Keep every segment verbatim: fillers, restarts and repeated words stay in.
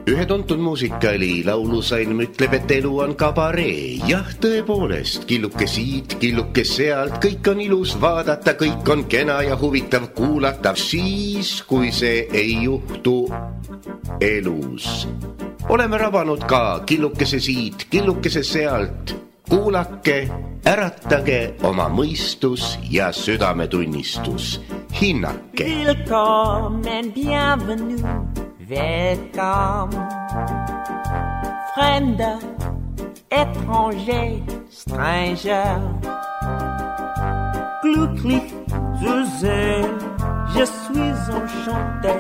Ühe tuntud muusikali laulusalm ütleb, et elu on kabaree. Jah, tõepoolest, killuke siit, killuke sealt, kõik on ilus vaadata, kõik on kena ja huvitav kuulata, siis, kui see ei juhtu elus. Oleme rabanud ka killukese siit, killukese sealt. Kuulake, äratage oma mõistus ja südametunnistus. Hinnake. Willkommen, bienvenue. Welcome, Fremder, étranger, stranger. Glücklich zu sehen, je suis enchanté.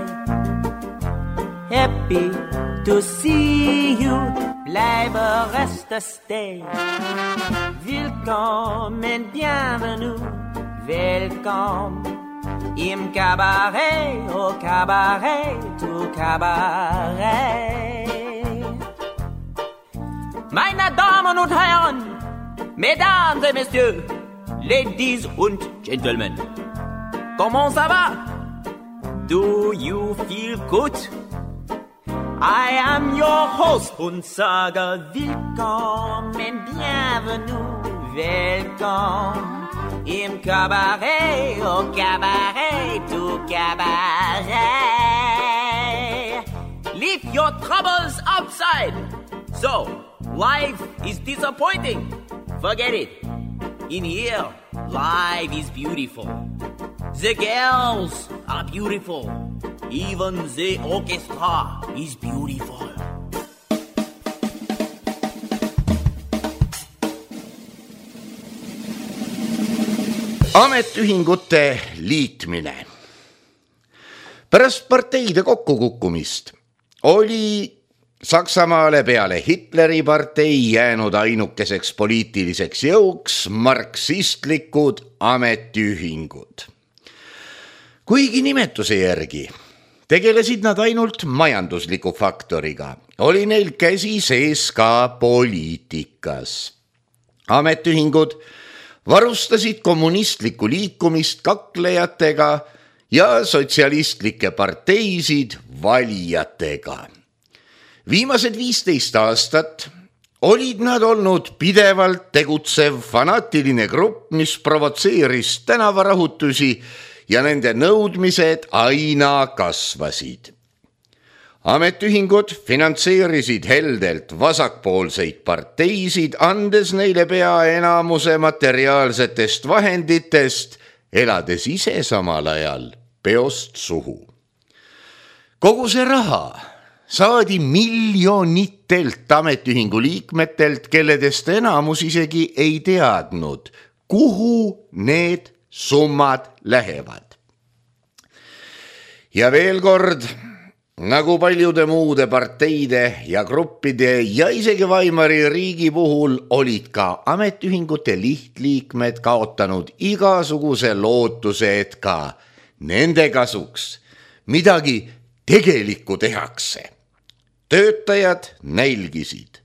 Happy to see you, bleibe, reste, stay. Willkommen, bienvenue, welcome. Im Cabaret, au Cabaret, au Cabaret. Meine Damen und Herren, Mesdames et Messieurs, Ladies und Gentlemen, comment ça va? Do you feel good? I am your host und sage willkommen, bienvenue, welcome. Im Cabaret, au Cabaret, au Cabaret. Leave your troubles outside. So, life is disappointing. Forget it. In here, life is beautiful. The girls are beautiful. Even the orchestra is beautiful. Ametiühingute liitmine. Pärast parteide kokkukukkumist oli Saksamaale peale Hitleri partei jäänud ainukeseks poliitiliseks jõuks marksistlikud ametiühingud. Kuigi nimetuse järgi tegelesid nad ainult majandusliku faktoriga, oli neil käsi sees ka poliitikas. Ametiühingud varustasid kommunistlikku liikumist kaklejatega ja sotsialistlikke parteisid valijatega. Viimased viisteist aastat olid nad olnud pidevalt tegutsev fanaatiline grupp, mis provotseeris tänavarahutusi ja nende nõudmised aina kasvasid. Ametiühingud finantseerisid heldelt vasakpoolseid parteisid, andes neile pea enamuse materiaalsetest vahenditest, elades ise samal ajal peost suhu. Kogu see raha saadi miljonitelt ametiühingu liikmetelt, kelledest enamus isegi ei teadnud, kuhu need summad lähevad. Ja veel kord, nagu paljude muude parteide ja gruppide ja isegi Weimari riigi puhul olid ka ametiühingute lihtliikmed kaotanud igasuguse lootuse, et ka nende kasuks midagi tegelikku tehakse. Töötajad nälgisid.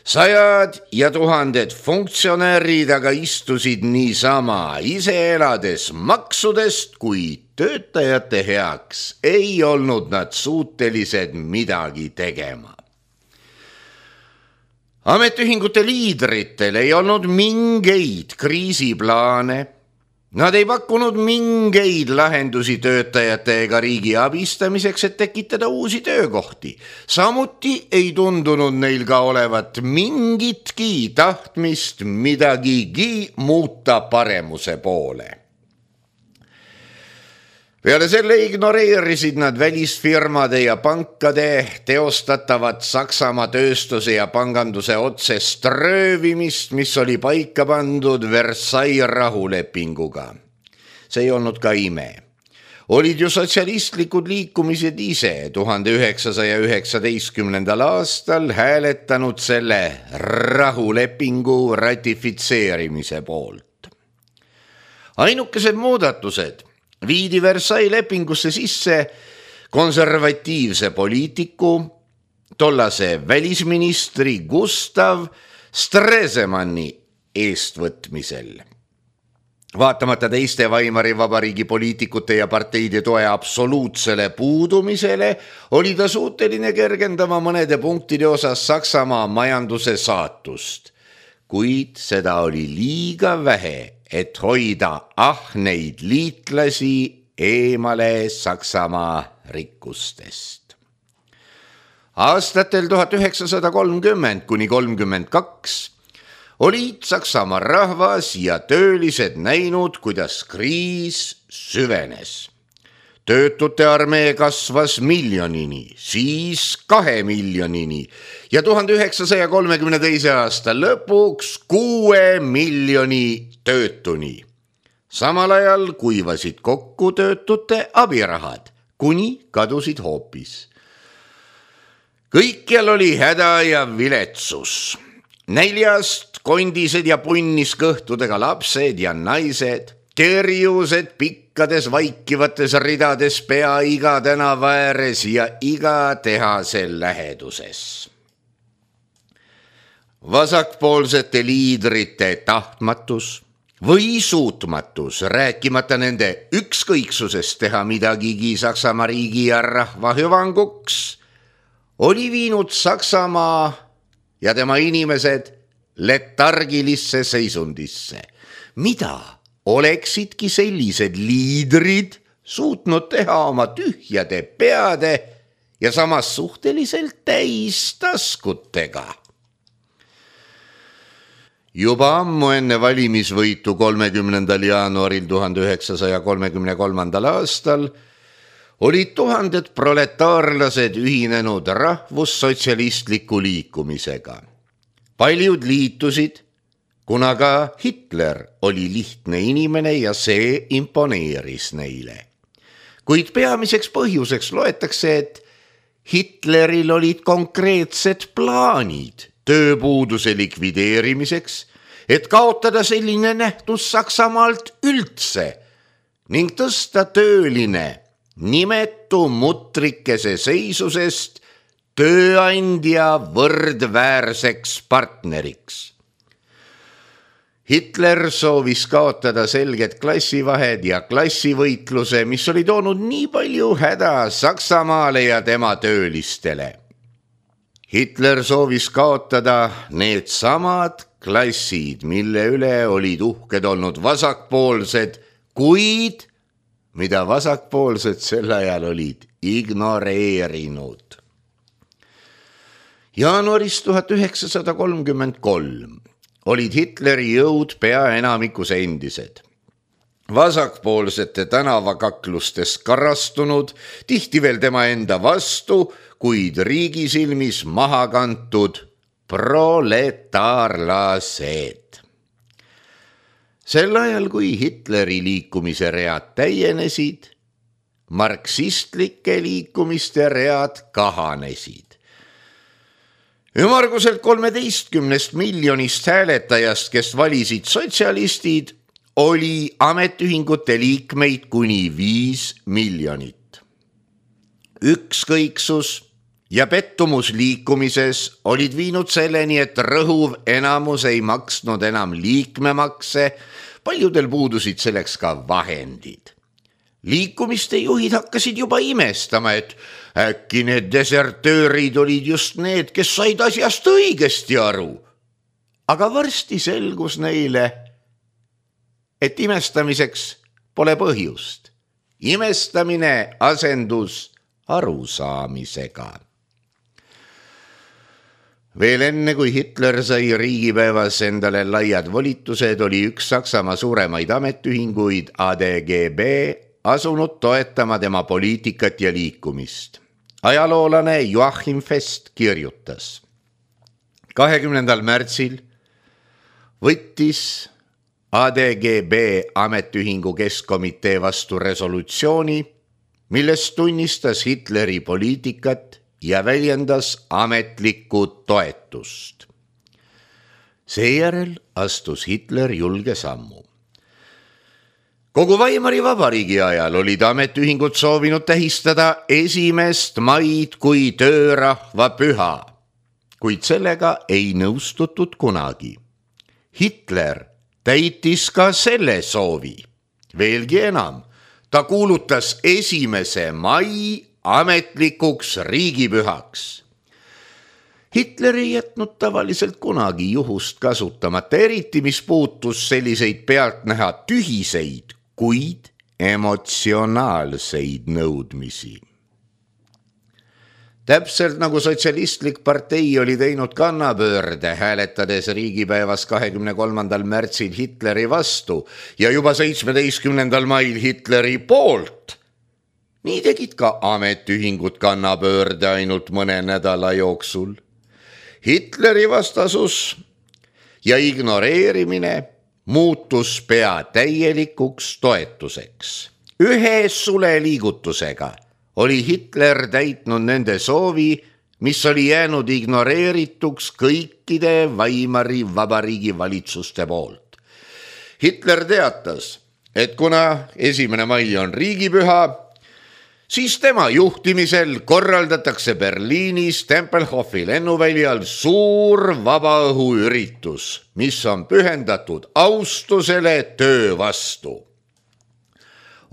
Sajad ja tuhanded funktsionäärid aga istusid niisama, ise elades maksudest, kui töötajate heaks ei olnud nad suutelised midagi tegema. Ametiühingute liidritel ei olnud mingeid kriisiplaane. Nad ei pakkunud mingeid lahendusi töötajate ega riigi abistamiseks, et tekitada uusi töökohti. Samuti ei tundunud neil ka olevat mingitki tahtmist midagigi muuta paremuse poole. Peale selle ignoreerisid nad välisfirmade ja pankade teostatavat Saksamaa tööstuse ja panganduse otsest röövimist, mis oli paika pandud Versailles rahulepinguga. See ei olnud ka ime. Olid ju sotsialistlikud liikumised ise tuhande üheksasaja üheksateistkümnendal aastal hääletanud selle rahulepingu ratifitseerimise poolt. Ainukesed muudatused viidi Versailles lepingusse sisse konservatiivse poliitiku, tollase välisministri Gustav Stresemanni eestvõtmisel. Vaatamata teiste Weimari vabariigi poliitikute ja parteide toe absoluutsele puudumisele oli ta suuteline kergendama mõnede punktide osas Saksamaa majanduse saatust, kuid seda oli liiga vähe, et hoida ahneid liitlasi eemale Saksamaa rikkustest. Aastatel tuhat üheksasada kolmkümmend kuni kolmkümmend kaks olid Saksamaa rahvas ja töölised näinud, kuidas kriis süvenes. Töötute armee kasvas miljonini, siis kahe miljonini ja tuhande üheksasaja kolmekümne teise aasta lõpuks kuue miljoni töötuni. Samal ajal kuivasid kokku töötute abirahad, kuni kadusid hoopis. Kõikjal oli häda ja viletsus. Näljast kondised ja punniskõhtudega lapsed ja naised, kerjused pikkades vaikivates ridades pea iga tänava ääres ja iga tehase läheduses. Vasakpoolsete liidrite tahtmatus või suutmatus, rääkimata nende ükskõiksusest teha midagigi Saksamaa riigi ja rahva hüvanguks, oli viinud Saksamaa ja tema inimesed letargilisse seisundisse, mida oleksidki sellised liidrid suutnud teha oma tühjade peade ja samas suhteliselt täis taskutega. Juba ammu enne valimisvõitu kolmekümnendal jaanuaril tuhande üheksasaja kolmekümne kolmandal aastal olid tuhanded proletaarlased ühinenud rahvussotsialistliku liikumisega. Paljud liitusid, kuna ka Hitler oli lihtne inimene ja see imponeeris neile. Kuid peamiseks põhjuseks loetakse, et Hitleril olid konkreetsed plaanid tööpuuduse likvideerimiseks, et kaotada selline nähtus Saksamaalt üldse ning tõsta tööline nimetu mutrikese seisusest tööandja võrdväärseks partneriks. Hitler soovis kaotada selged klassivahed ja klassivõitluse, mis oli toonud nii palju häda Saksamaale ja tema töölistele. Hitler soovis kaotada need samad klassid, mille üle olid uhked olnud vasakpoolsed, kuid mida vasakpoolsed sel ajal olid ignoreerinud. Jaanuaris tuhat üheksasada kolmkümmend kolm olid Hitleri jõud pea enamikus endised. Vasakpoolsete tänavakaklustes karastunud, tihti veel tema enda vastu, kuid riigi silmis maha kantud proletaarlased. Sel ajal, kui Hitleri liikumise read täienesid, marksistlike liikumiste read kahanesid. Ümmarguselt kolmeteistkümnest miljonist hääletajast, kes valisid sotsialistid, oli ametiühingute liikmeid kuni viis miljonit. Ükskõiksus ja pettumus liikumises olid viinud selleni, et rõhuv enamus ei maksnud enam liikmemakse, paljudel puudusid selleks ka vahendid. Liikumiste juhid hakkasid juba imestama, et äkki need desertöörid olid just need, kes said asjast õigesti aru. Aga varsti selgus neile, et imestamiseks pole põhjust. Imestamine asendus arusaamisega. Veel enne, kui Hitler sai riigipäevas endale laiad volitused, oli üks Saksamaa suuremaid ametiühinguid A D G B asunud toetama tema poliitikat ja liikumist. Ajaloolane Joachim Fest kirjutas. kahekümnendal märtsil võttis A D G B ametiühingu keskkomitee vastu resolutsiooni, milles tunnistas Hitleri poliitikat ja väljendas ametlikku toetust. Seejärel astus Hitler julge sammu. Kogu Weimari vabariigi ajal olid ametiühingud soovinud tähistada esimest maid kui töörahva püha, kuid sellega ei nõustutud kunagi. Hitler täitis ka selle soovi. Veelgi enam, ta kuulutas esimese mai ametlikuks riigipühaks. Hitler ei jätnud tavaliselt kunagi juhust kasutamata, eriti mis puutus selliseid pealtnäha tühiseid, kuid emotsionaalseid nõudmisi. Täpselt nagu sotsialistlik partei oli teinud kannapöörde, hääletades riigipäevas kahekümne kolmandal märtsil Hitleri vastu ja juba seitsmeteistkümnendal mail Hitleri poolt. Nii tegid ka ametiühingud kannapöörde ainult mõne nädala jooksul. Hitleri vastasus ja ignoreerimine muutus pea täielikuks toetuseks. Ühe suleliigutusega oli Hitler täitnud nende soovi, mis oli jäänud ignoreerituks kõikide Weimari vabariigi valitsuste poolt. Hitler teatas, et kuna esimene mai on riigipüha, siis tema juhtimisel korraldatakse Berliinis Tempelhofi lennuväljal suur vabaõhuüritus, mis on pühendatud austusele töö vastu.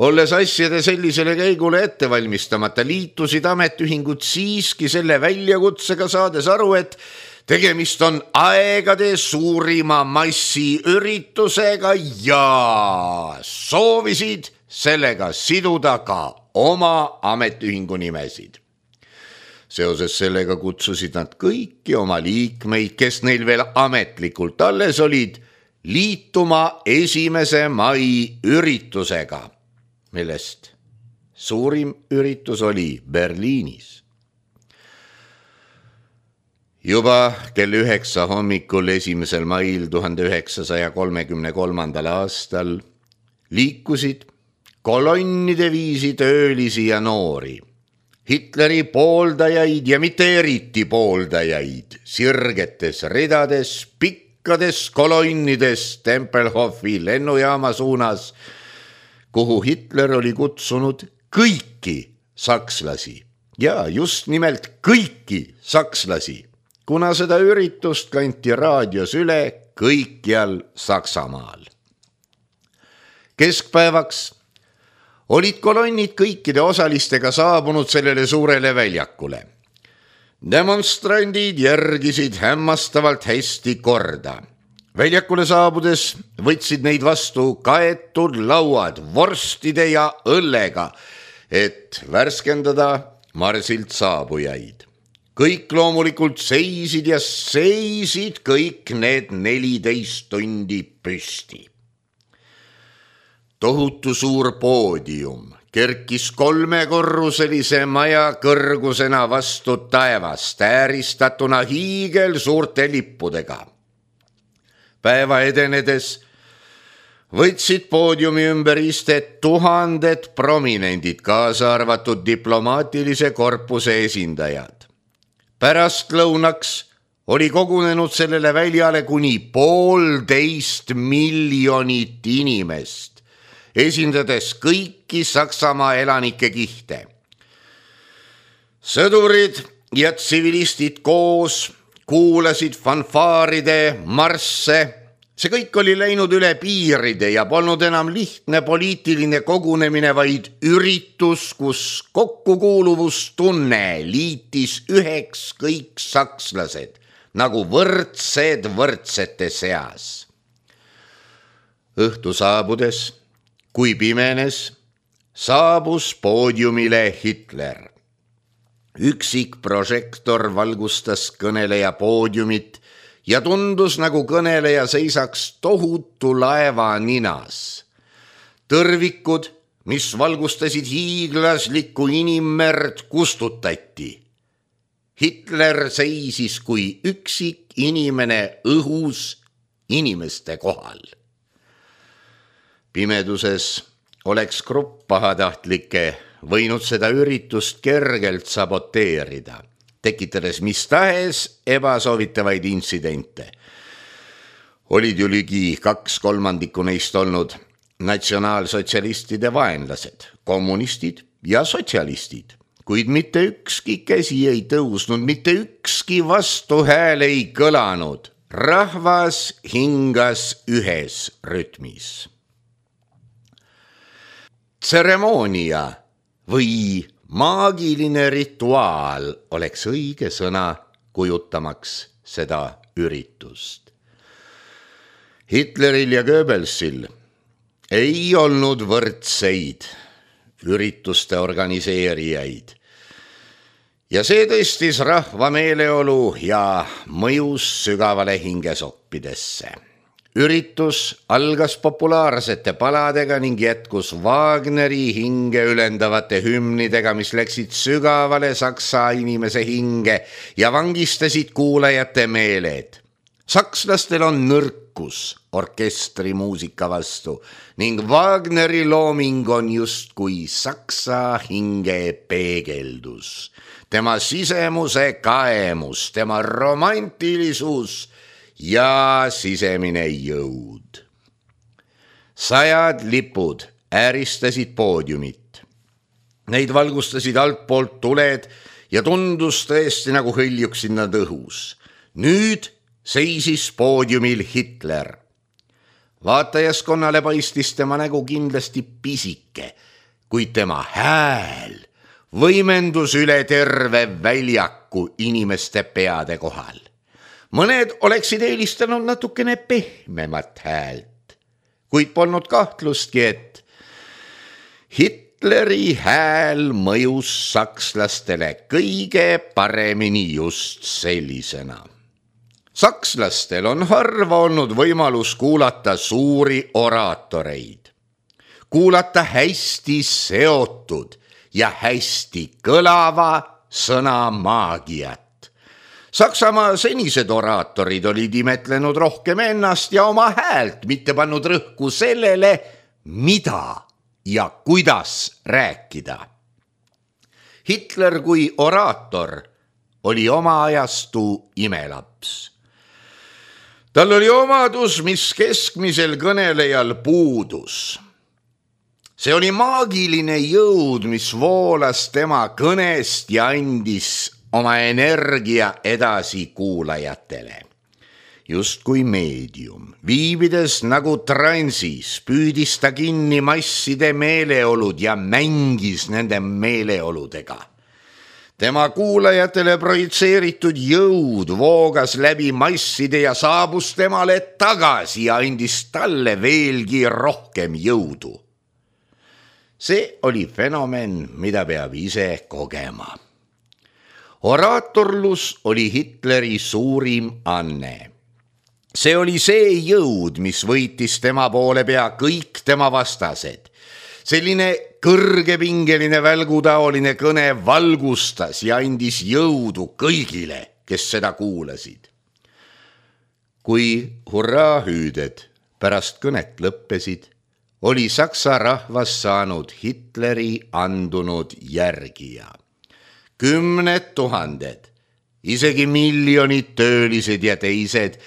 Olles asjade sellisele käigule ettevalmistamata, liitusid ametiühingud siiski selle väljakutsega, saades aru, et tegemist on aegade suurima massiüritusega ja soovisid sellega siduda ka oma ametiühingu nimesid. Seoses sellega kutsusid nad kõiki oma liikmeid, kes neil veel ametlikult alles olid, liituma esimese mai üritusega, millest suurim üritus oli Berliinis. Juba kell üheksa hommikul esimesel mail tuhande üheksasaja kolmekümne kolmandal aastal liikusid kolonnide viisi töölisi ja noori, Hitleri pooldajaid ja mitte eriti pooldajaid, sirgetes ridades, pikkades kolonnides Tempelhofi lennujaama suunas, kuhu Hitler oli kutsunud kõiki sakslasi ja just nimelt kõiki sakslasi, kuna seda üritust kanti raadios üle kõikjal Saksamaal. Keskpäevaks olid kolonnid kõikide osalistega saabunud sellele suurele väljakule. Demonstrandid järgisid hämmastavalt hästi korda. Väljakule saabudes võtsid neid vastu kaetud lauad vorstide ja õllega, et värskendada marsilt saabujaid. Kõik loomulikult seisid ja seisid kõik need neliteist tundi püsti. Tohutu suur poodium kerkis kolmekorruselise maja kõrgusena vastu taevast, ääristatuna hiigel suurte lippudega. Päeva edenedes võtsid poodiumi ümber istet tuhanded prominendid, kaasa arvatud diplomaatilise korpuse esindajad. Pärast lõunaks oli kogunenud sellele väljale kuni poolteist miljonit inimest, esindades kõiki Saksamaa elanike kihte. Sõdurid ja tsivilistid koos kuulasid fanfaaride marsse. See kõik oli läinud üle piiride ja polnud enam lihtne poliitiline kogunemine, vaid üritus, kus kokkukuuluvustunne liitis üheks kõik sakslased, nagu võrdsed võrdsete seas. Õhtu saabudes, kui pimenes, saabus poodiumile Hitler. Üksik prožektor valgustas kõneleja poodiumit ja tundus, nagu kõneleja seisaks tohutu laeva ninas. Tõrvikud, mis valgustasid hiiglaslikku inimmerd, kustutati. Hitler seisis kui üksik inimene õhus inimeste kohal. Pimeduses oleks grupp pahatahtlikke võinud seda üritust kergelt saboteerida, tekitades mis tahes ebasoovitavaid intsidente. Olid ju ligi kaks kolmandikku neist olnud natsionaalsotsialistide vaenlased, kommunistid ja sotsialistid, kuid mitte ükski käsi ei tõusnud, mitte ükski vastuhääl ei kõlanud, Rahvas hingas ühes rütmis. Tseremoonia või maagiline rituaal oleks õige sõna kujutamaks seda üritust. Hitleril ja Goebbelsil ei olnud võrdseid ürituste organiseerijaid ja see tõstis rahva meeleolu ja mõjus sügavale hingesoppidesse. Üritus algas populaarsete paladega ning jätkus Wagneri hinge ülendavate hümnidega, mis läksid sügavale saksa inimese hinge ja vangistasid kuulajate meeled. Sakslastel on nõrkus orkestrimuusika vastu ning Wagneri looming on justkui saksa hinge peegeldus. Tema sisemuse kaemus, tema romantilisus ja sisemine jõud. Sajad lipud ääristasid poodiumit. Neid valgustasid altpoolt tuled ja tundus tõesti nagu hõljuksid nad õhus. Nüüd seisis poodiumil Hitler. Vaatajaskonnale paistis tema nägu kindlasti pisike, kuid tema hääl võimendus üle terve väljaku inimeste peade kohal. Mõned oleksid eelistanud natukene pehmemat häält, kuid polnud kahtlustki, et Hitleri hääl mõjus sakslastele kõige paremini just sellisena. Sakslastel on harva olnud võimalus kuulata suuri oraatoreid, kuulata hästi seotud ja hästi kõlava sõna maagiat. Saksamaa senised oraatorid olid imetlenud rohkem ennast ja oma häält, mitte pannud rõhku sellele, mida ja kuidas rääkida. Hitler kui oraator oli oma ajastu imelaps. Tal oli omadus, mis keskmisel kõnelejal puudus. See oli maagiline jõud, mis voolas tema kõnest ja andis oma energia edasi kuulajatele. Just kui meedium, viibides nagu transis, püüdis ta kinni masside meeleolud ja mängis nende meeleoludega. Tema kuulajatele projitseeritud jõud voogas läbi masside ja saabus temale tagasi ja andis talle veelgi rohkem jõudu. See oli fenomen, mida peab ise kogema. Oraatorlus oli Hitleri suurim anne. See oli see jõud, mis võitis tema poole pea kõik tema vastased. Selline kõrgepingeline välgutaoline kõne valgustas ja andis jõudu kõigile, kes seda kuulasid. Kui hurraahüüded pärast kõnet lõppesid, oli saksa rahvas saanud Hitleri andunud järgija. Kümned tuhanded, isegi miljonid töölised ja teised,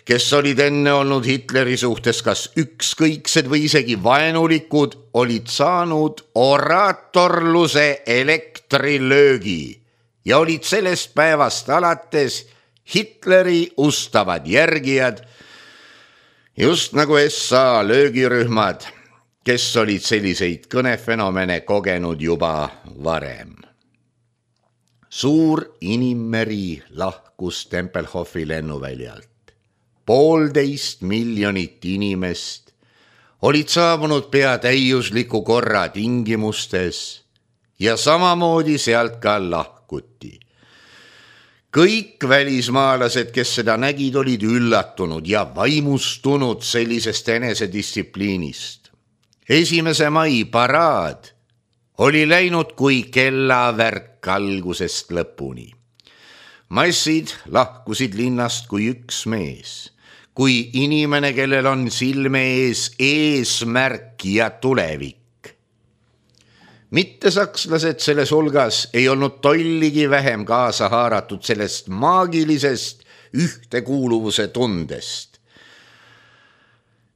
kes olid enne olnud Hitleri suhtes kas ükskõiksed või isegi vaenulikud, olid saanud oraatorluse elektrilöögi ja olid sellest päevast alates Hitleri ustavad järgijad, just nagu S A löögirühmad, kes olid selliseid kõnefenomene kogenud juba varem. Suur inimmeri lahkus Tempelhofi lennuväljalt. Poolteist miljonit inimest olid saabunud pea täiusliku korra tingimustes ja samamoodi sealt ka lahkuti. Kõik välismaalased, kes seda nägid, olid üllatunud ja vaimustunud sellisest enesedistsipliinist. Esimese mai paraad oli läinud kui kellavärk algusest lõpuni. Massid lahkusid linnast kui üks mees, kui inimene, kellel on silme ees eesmärk ja tulevik. Mitte sakslased selles hulgas ei olnud tolligi vähem kaasa haaratud sellest maagilisest ühtekuuluvuse tundest.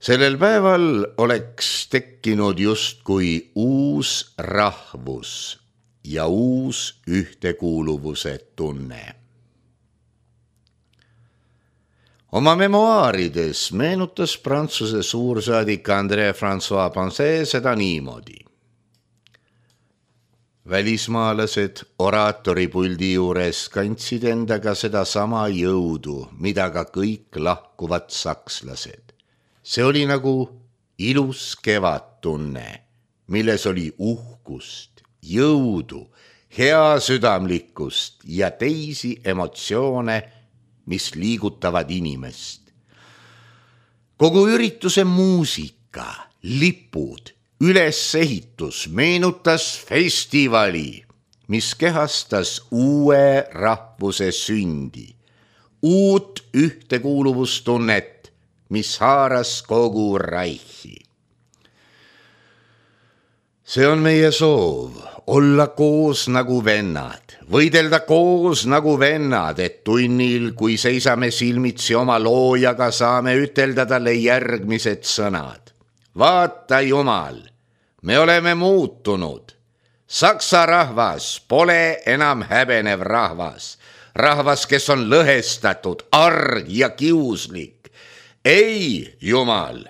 Sellel päeval oleks tekkinud justkui uus rahvus ja uus ühtekuuluvuse tunne. Oma memoaarides meenutas Prantsuse suursaadik André François Poncet seda niimoodi. Välismaalased oraatoripuldi juures kandsid endaga seda sama jõudu, mida ka kõik lahkuvad sakslased. See oli nagu ilus kevadtunne, milles oli uhkust, jõudu, hea südamlikkust ja teisi emotsioone, mis liigutavad inimest. Kogu ürituse muusika, lipud, ülesehitus meenutas festivali, mis kehastas uue rahvuse sündi, uut ühtekuuluvustunnet, mis haaras kogu Reichi. See on meie soov, olla koos nagu vennad, võidelda koos nagu vennad, et tunnil, kui seisame silmitsi oma loojaga, saame ütelda talle järgmised sõnad. Vaata Jumal, me oleme muutunud. Saksa rahvas pole enam häbenev rahvas. Rahvas, kes on lõhestatud, arg ja kiuslik. Ei, Jumal,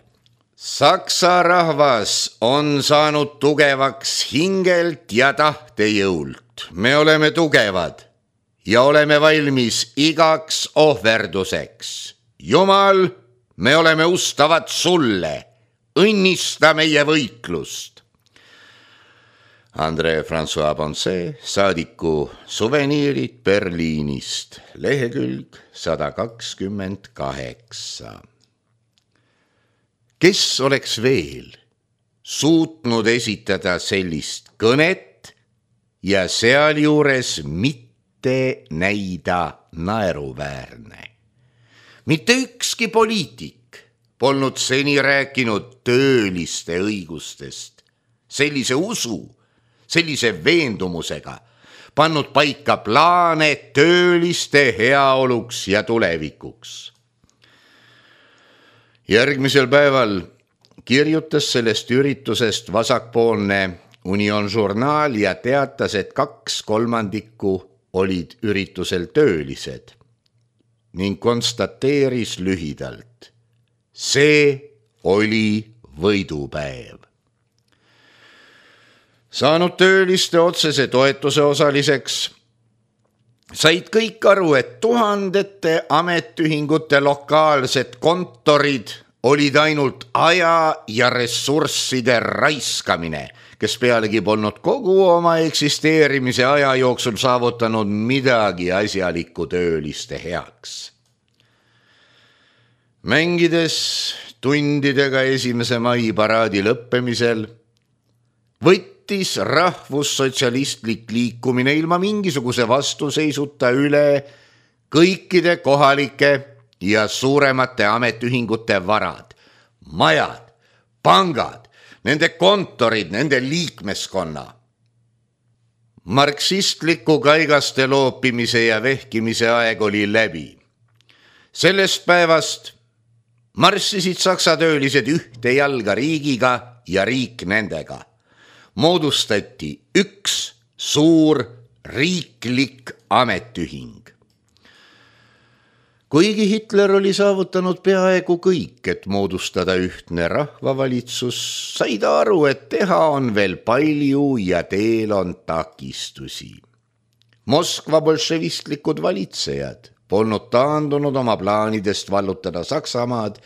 Saksa rahvas on saanud tugevaks hingelt ja tahtejõult. Me oleme tugevad ja oleme valmis igaks ohverduseks. Jumal, me oleme ustavad sulle. Õnnista meie võitlust. André François Poncet, saadiku suveniirid Berliinist, lehekülg sada kakskümmend kaheksa. Kes oleks veel suutnud esitada sellist kõnet ja sealjuures mitte näida naeruväärne? Mitte ükski poliitik polnud seni rääkinud tööliste õigustest, sellise usu, sellise veendumusega, pannud paika plaane tööliste heaoluks ja tulevikuks. Järgmisel päeval kirjutas sellest üritusest vasakpoolne Union Journal ja teatas, et kaks kolmandikku olid üritusel töölised ning konstateeris lühidalt. See oli võidupäev. Saanud tööliste otsese toetuse osaliseks, said kõik aru, et tuhandete ametühingute lokaalsed kontorid olid ainult aja ja ressursside raiskamine, kes pealegi polnud kogu oma eksisteerimise aja jooksul saavutanud midagi asjalikku tööliste heaks. Mängides tundidega esimese mai paraadi lõppemisel võttis rahvussotsialistlik liikumine ilma mingisuguse vastuseisuta üle kõikide kohalike ja suuremate ametühingute varad, majad, pangad, nende kontorid, nende liikmeskonna. Marksistliku kaigaste loopimise ja vehkimise aeg oli läbi. Sellest päevast marssisid saksa töölised ühte jalga riigiga ja riik nendega. Moodustati üks suur riiklik ametühing. Kuigi Hitler oli saavutanud peaaegu kõik, et moodustada ühtne rahvavalitsus, sai ta aru, et teha on veel palju ja teel on takistusi. Moskva bolševistlikud valitsejad polnud taandunud oma plaanidest vallutada Saksamaad,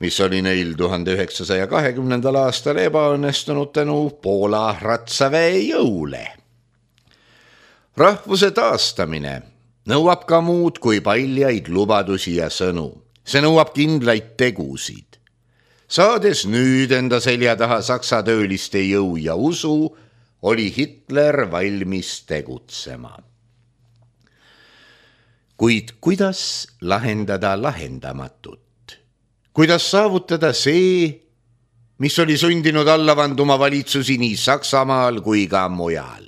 mis oli neil tuhande üheksasaja kahekümnendal aastal ebaõnnestunud tänu Poola ratsaväe jõule. Rahvuse taastamine nõuab ka muud kui paljaid lubadusi ja sõnu. See nõuab kindlaid tegusid. Saades nüüd enda selja taha saksa tööliste jõu ja usu, oli Hitler valmis tegutsema. Kuid kuidas lahendada lahendamatut? Kuidas saavutada see, mis oli sundinud alla vanduma valitsusi nii Saksamaal kui ka mujal?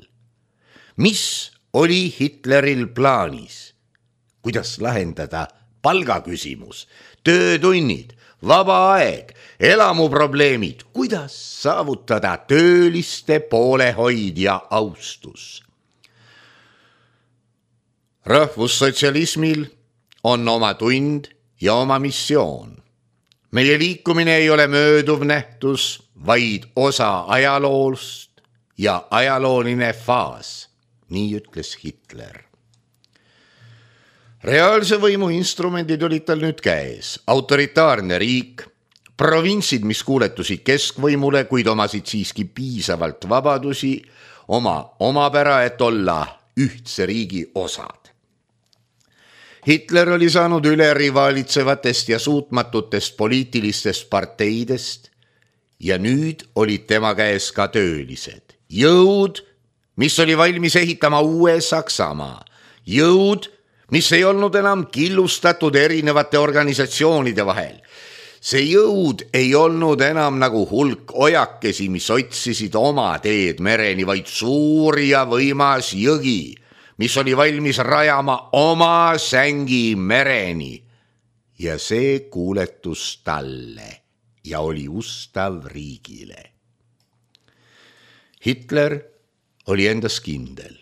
Mis oli Hitleril plaanis? Kuidas lahendada palgaküsimus, töötunnid, vaba aeg, elamuprobleemid? Kuidas saavutada tööliste poolehoid ja austus? Rahvussotsialismil on oma tund ja oma missioon. Meie liikumine ei ole mööduv nähtus, vaid osa ajaloost ja ajalooline faas, nii ütles Hitler. Reaalse võimu instrumendid olid tal nüüd käes. Autoritaarne riik, provintsid, mis kuuletusid keskvõimule, kuid omasid siiski piisavalt vabadusi, oma omapära, et olla ühtse riigi osad. Hitler oli saanud üle rivaalitsevatest ja suutmatutest poliitilistest parteidest ja nüüd olid tema käes ka töölised. Jõud, mis oli valmis ehitama uue Saksamaa. Jõud, mis ei olnud enam killustatud erinevate organisatsioonide vahel. See jõud ei olnud enam nagu hulk ojakesi, mis otsisid oma teed mereni, vaid suur ja võimas jõgi, mis oli valmis rajama oma sängi mereni. Ja see kuuletus talle ja oli ustav riigile. Hitler oli endas kindel.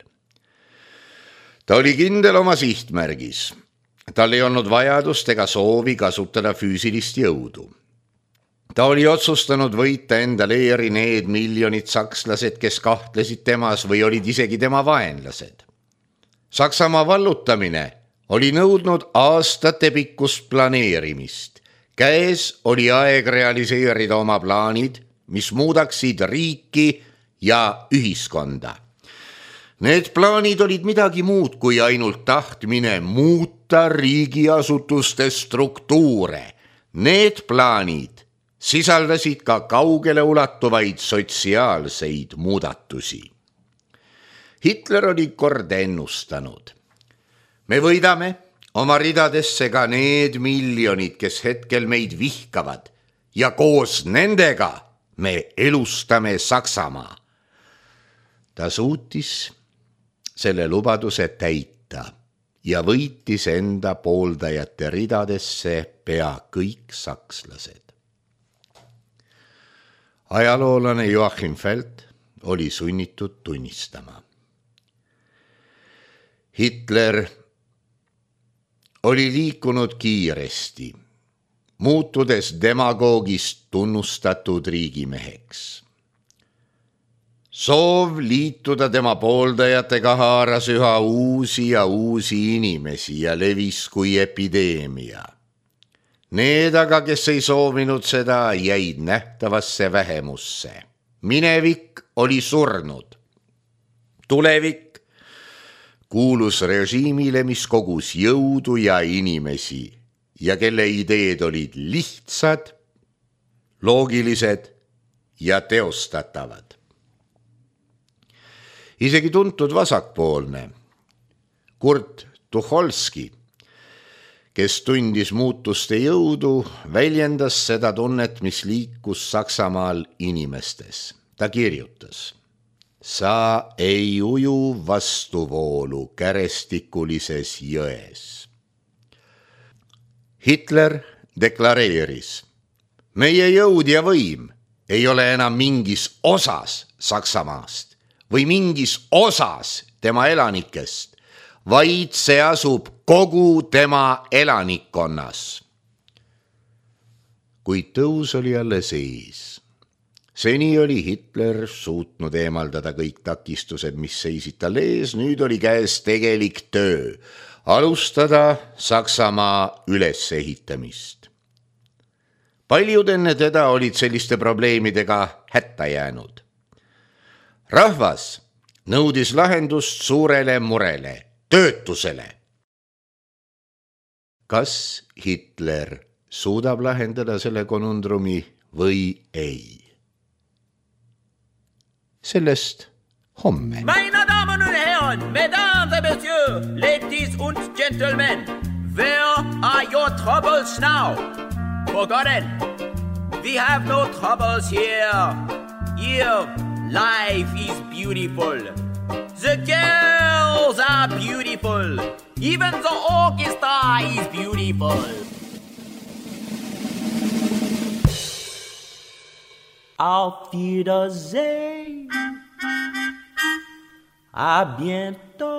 Ta oli kindel oma sihtmärgis. Tal ei olnud vajadust ega soovi kasutada füüsilist jõudu. Ta oli otsustanud võita enda leeri need miljonid sakslased, kes kahtlesid temas või olid isegi tema vaenlased. Saksamaa vallutamine oli nõudnud aastate pikkust planeerimist. Käes oli aeg realiseerida oma plaanid, mis muudaksid riiki ja ühiskonda. Need plaanid olid midagi muud kui ainult tahtmine muuta riigiasutuste struktuure. Need plaanid sisaldasid ka kaugele ulatuvaid sotsiaalseid muudatusi. Hitler oli kord ennustanud. Me võidame oma ridadesse ka need miljonid, kes hetkel meid vihkavad ja koos nendega me elustame Saksamaa. Ta suutis selle lubaduse täita ja võitis enda pooldajate ridadesse pea kõik sakslased. Ajaloolane Joachim Feld oli sunnitud tunnistama. Hitler oli liikunud kiiresti, muutudes demagoogist tunnustatud riigimeheks. Soov liituda tema pooldajatega haaras üha uusi ja uusi inimesi ja levis kui epideemia. Need aga, kes ei soovinud seda, jäid nähtavasse vähemusse. Minevik oli surnud. Tulevik kuulus režiimile, mis kogus jõudu ja inimesi ja kelle ideed olid lihtsad, loogilised ja teostatavad. Isegi tuntud vasakpoolne Kurt Tucholsky, kes tundis muutuste jõudu, väljendas seda tunnet, mis liikus Saksamaal inimestes. Ta kirjutas: sa ei uju vastuvoolu kärestikulises jões. Hitler deklareeris: meie jõud ja võim ei ole enam mingis osas Saksamaast või mingis osas tema elanikest, vaid see asub kogu tema elanikkonnas. Kuid tõus oli alles ees. Seni oli Hitler suutnud eemaldada kõik takistused, mis seisid tal ees, nüüd oli käes tegelik töö, alustada Saksamaa ülesehitamist. Paljud enne teda olid selliste probleemidega hätta jäänud. Rahvas nõudis lahendust suurele murele, töötusele. Kas Hitler suudab lahendada selle konundrumi või ei? Sellest homme. Meine Damen und Herren, Mesdames et Messieurs, ladies und gentlemen, where are your troubles now? Forgotten, we have no troubles here. Here, life is beautiful. The girls are beautiful. Even the orchestra is beautiful. Auf Wiedersehen. À bientôt.